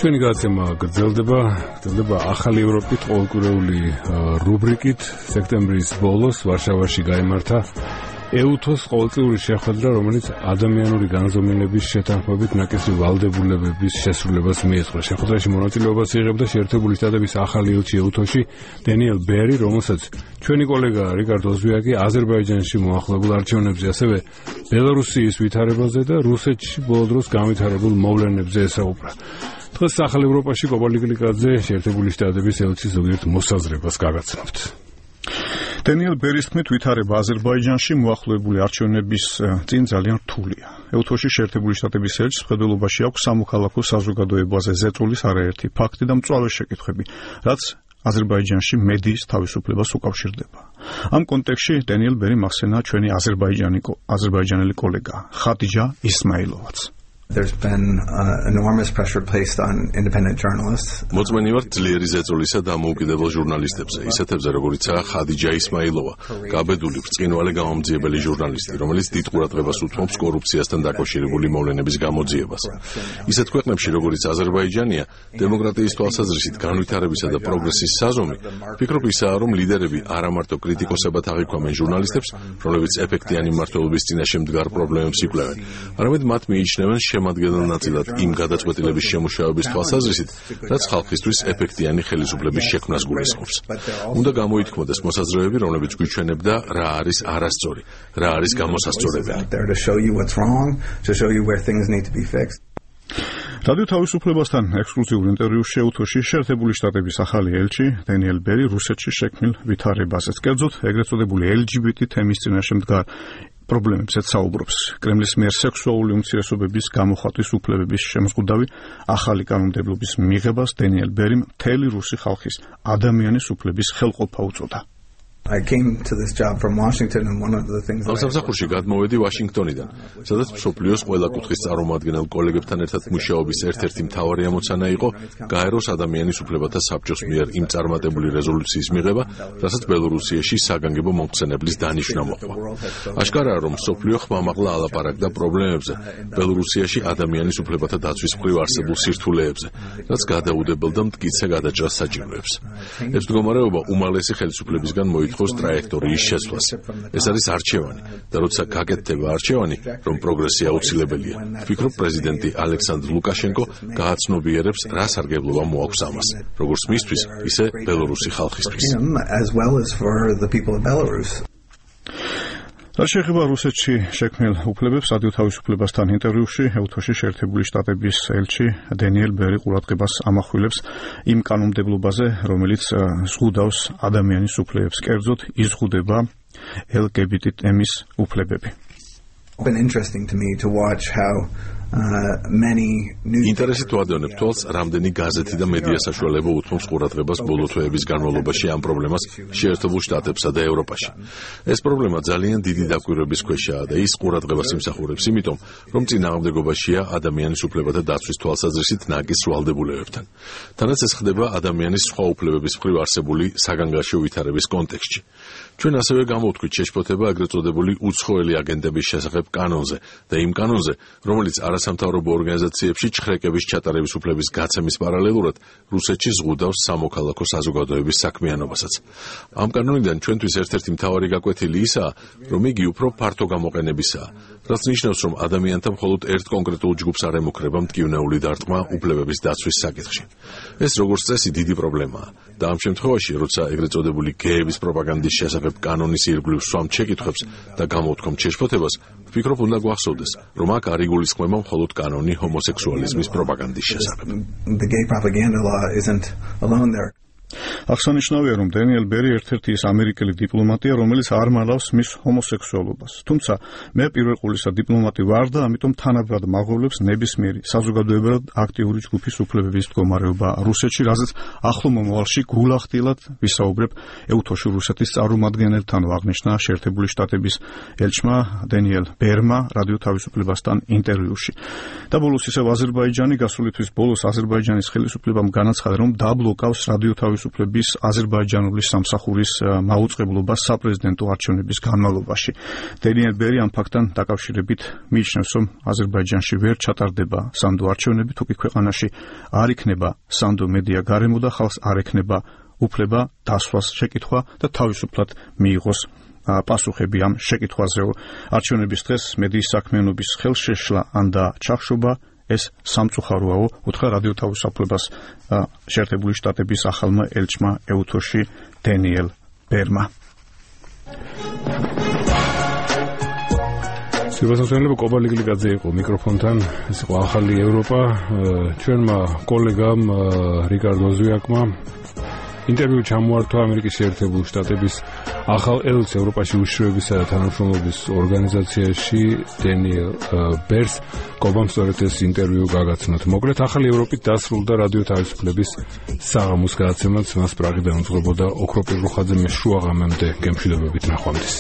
ჩვენი გადაცემა გრძელდება ახალი ევროპით ყოველკვირეული რუბრიკით. სექტემბრის ბოლოს ვარშავაში გაიმართა EUTHO-ს ყოველწლიური შეხვედრა, რომელიც ადამიანური განზომილების შეთანხმებით ნაკისრი ვალდებულებების შესრულებას მიეძღვნა. შეხვედრაში მონაწილეობას იღებდა შეერთებული შტატების ახალი ელჩი EUTHO-ში დენიელ ბერი, რომელსაც ჩვენი კოლეგა რიკარდ ოზვიაკი აზერბაიჯანში მოახლებულ არჩევნებზე, ასევე ბელარუსიის ვითარებაზე და რუსეთში ბოლო დროს განვითარებულ მოვლენებზე ესაუბრა. დღეს ახალ ევროპაში კობალტ გლიკაძე შეერთებული შტატების ელჩის ზოგიერთ მოსაზრებას გაგაცნობთ. დენიელ ბერის თქმით, ვითარება აზერბაიჯანში მოახლოებული არჩევნების წინ ძალიან რთულია. EUTHO-ში შეერთებული შტატების ელჩის მხედველობაში აქვს სამოქალაქო საზოგადოებაზე ზეწოლის არაერთი ფაქტი და მწვავე შეკითხვები, რაც აზერბაიჯანში მედიის თავისუფლებას უკავშირდება. ამ კონტექსტში დენიელ ბერიმ ახსენა ჩვენი აზერბაიჯანელი კოლეგა ხადიჯა ისმაილოვაც. There's been enormous pressure placed on independent journalists. მოწმენივართ ძლიერი ზეწოლისა და მოუკიდებელ ჟურნალისტებზე, ისეთებზე როგორიცაა ხადიჯა ისმაილოვა, გაბედული ბრწყინვალე გამომძიებელი ჟურნალისტი, რომელიც დიდ ყურადღებას უთმობს კორუფციასთან დაკავშირებული მოვლენების გამოძიებას. ისეთ ქვეყნებში, როგორიც აზერბაიჯანია, დემოკრატიის თვალსაზრისით განვითარებისა და პროგრესის საზომი, ვფიქრობ ისაა, რომ ლიდერები არა მარტო კრიტიკოსებად აღიქვამენ ჟურნალისტებს, რომლებიც ეფექტიანი მმართველობის წინაშე მდგარ პრობლემებს იკვლევენ, არამედ მათ მიიჩნევენ შემადგენელ ნაწილად იმ გადაწყვეტილების შემუშავების თვალსაზრისით, რაც ხალხისთვის ეფექტიანი ხელისუფლების შექმნას გულისხმობს. უნდა გამოითქმოდეს მოსაზრებები, რომლებიც გვიჩვენებდა რა არის არასწორი, რა არის გამოსასწორებელი. რადიო თავისუფლებასთან ექსკლუზიურ ინტერვიუში EUTHO-ში შეერთებული შტატების ახალი ელჩი დენიელ ბერი რუსეთში შექმნილ ვითარებაზეც, კერძოდ ეგრეთ წოდებული LGBT თემის წინაშე მდგარ პრობლემებზეც საუბრობს. კრემლის მიერ სექსუალური უმცირესობების გამოხატვის უფლებების შემზღუდავი ახალი კანონმდებლობის მიღებას დენიელ ბერიმ მთელი რუსი ხალხის ადამიანის უფლების ხელყოფა უწოდა. I came to this job from Washington and one of the things ამ სამსახურში გადმოვედი ვაშინგტონიდან, სადაც მსოფლიოს ყველა კუთხის წარმომადგენელ კოლეგებთან ერთად მუშაობის ერთ-ერთი მთავარი ამოცანა იყო გაეროს ადამიანის უფლებათა საბჭოს მიერ იმ წარმატებული რეზოლუციის მიღება, რასაც ბელორუსიაში საგანგებო მომხსენებლის დანიშვნა მოჰყვა. აშკარაა, რომ მსოფლიო ხმამაღლა ალაპარაკდა პრობლემებზე ბელორუსიაში ადამიანის უფლებათა დაცვის მხრივ არსებულ სირთულეებზე, რაც გადაუდებელ და მტკიცე გადაჭრას საჭიროებს. ეს მდგომარეობა უმაღლესი ხელისუფლებისგან მოითხოვს ტრაექტორიის შეცვლას. ეს არის არჩევანი და როცა გაკეთდება არჩევანი, რომ პროგრესი აუცილებელია. ვფიქრობ, პრეზიდენტი ალექსანდრ ლუკაშენკო გააცნობიერებს, რა სარგებლობა მოაქვს ამას, როგორც მისთვის, ისე ბელორუსი ხალხისთვის. რაც შეეხება რუსეთში შექმნილ უფლებებს, რადიო თავისუფლებასთან ინტერვიუში EUTHO-ში შეერთებული შტატების ელჩი დენიელ ბერი ყურადღებას ამახვილებს იმ კანონმდებლობაზე, რომელიც ზღუდავს ადამიანის უფლებებს, კერძოდ იზღუდება LGBT თემის უფლებები. ინტერესით ვადევნებ თვალს, რამდენი გაზეთი და მედია საშუალება უთმობს ყურადღებას ბოლო თვეების განმავლობაში ამ პრობლემას შეერთებულ შტატებსა და ევროპაში. ეს პრობლემა ძალიან დიდი დაკვირვების ქვეშაა და ის ყურადღებას იმსახურებს, იმიტომ რომ წინააღმდეგობაშია ადამიანის უფლებათა დაცვის თვალსაზრისით ნაკის ვალდებულებებთან. თანაც ეს ხდება ადამიანის სხვა უფლებების მხრივ არსებული საგანგაშო ვითარების კონტექსტში. ჩვენ ასევე გამოვთქვით შეშფოთება ეგრეთ წოდებული უცხოელი აგენტების შესახებ კანონზე და იმ კანონზე, რომელიც არასამთავრობო ორგანიზაციებში ჩხრეკების ჩატარების უფლების გაცემის პარალელურად რუსეთში ზღუდავს სამოქალაქო საზოგადოების საქმიანობასაც. ამ კანონიდან ჩვენთვის ერთ-ერთი მთავარი გაკვეთილი ისაა, რომ იგი უფრო ფართო გამოყენებისაა, რაც ნიშნავს, რომ ადამიანთა მხოლოდ ერთ კონკრეტულ ჯგუფს არ ემუქრება მტკივნეული დარტყმა უფლებების დაცვის საკითხში. ეს როგორც წესი დიდი პრობლემაა და ამ შემთხვევაში, როცა ეგრეთ წოდებული გეების პროპაგანდის შესახებ კანონის ირგვლივ სვამთ შეკითხვებს და გამოვთქვამთ შეშფოთებას, ვფიქრობ, უნდა გვახსოვდეს, რომ აქ არ იგულისხმება მხოლოდ კანონი ჰომოსექსუალიზმის პროპაგანდის შესახებ. აღსანიშნავია, რომ დენიელ ბერი ერთ-ერთი ის ამერიკელი დიპლომატია, რომელიც არ მალავს მის ჰომოსექსუალობას. თუმცა მე პირველ ყოვლისა დიპლომატი ვარ და ამიტომ თანაბრად მაღლობს ნებისმიერი საზოგადოებრივად აქტიური ჯგუფის უფლებების მდგომარეობა რუსეთში, რაზეც ახლო მომავალში გულახდილად ვისაუბრებ EUTHO-ში რუსეთის წარმომადგენელთან, აღნიშნა შეერთებული შტატების ელჩმა დენიელ ბერმა რადიო თავისუფლებასთან ინტერვიუში. და ბოლოს ისევ აზერბაიჯანი გასული თვის ბოლოს აზერბაიჯანის ხელისუფლებამ განაცხადა, რომ დაბლოკავს რადიო თავისუფლების აკონტროლების აზერბაიჯანული სამსახურის მაუწყებლობა საპრეზიდენტო არჩევნების განმავლობაში. დენიელ ბერი ამ ფაქტთან დაკავშირებით მიიჩნევს, რომ აზერბაიჯანში ვერ ჩატარდება სანდო არჩევნები, თუკი ქვეყანაში არ იქნება სანდო მედია გარემო და ხალხს არ ექნება უფლება დასვას შეკითხვა და თავისუფლად მიიღოს პასუხები ამ შეკითხვაზე. არჩევნების დღეს მედიის საქმიანობის ხელშეშლა ან და ჩახშობა ეს სამწუხაროა, უთხრა რადიო თავისუფლებას შეერთებული შტატების ახალმა ელჩმა ეუთოში დენიელ ბერმა. სიბასოსენლება კობალიგლიკაძე იყო მიკროფონთან, ეს იყო ახალი ევროპა, ჩვენმა კოლეგამ რიკარდო ზვიაკმა ინტერვიუ ჩამოართვა ამერიკის შეერთებული შტატების ახალ ელჩს ევროპაში უშიშროებისა და თანამშრომლობის ორგანიზაციაში დენიელ ბერს. კობამ სწორედ ეს ინტერვიუ გაგაცნოთ. მოკლედ ახალი ევროპით დასრულდა რადიო თავისუფლების საღამოს გადაცემაც, მას პრაღიდან უძღვებოდა ოქროპირ რუხაძე. მე შუაღამემდე გემშვიდობებით ნახვამდის.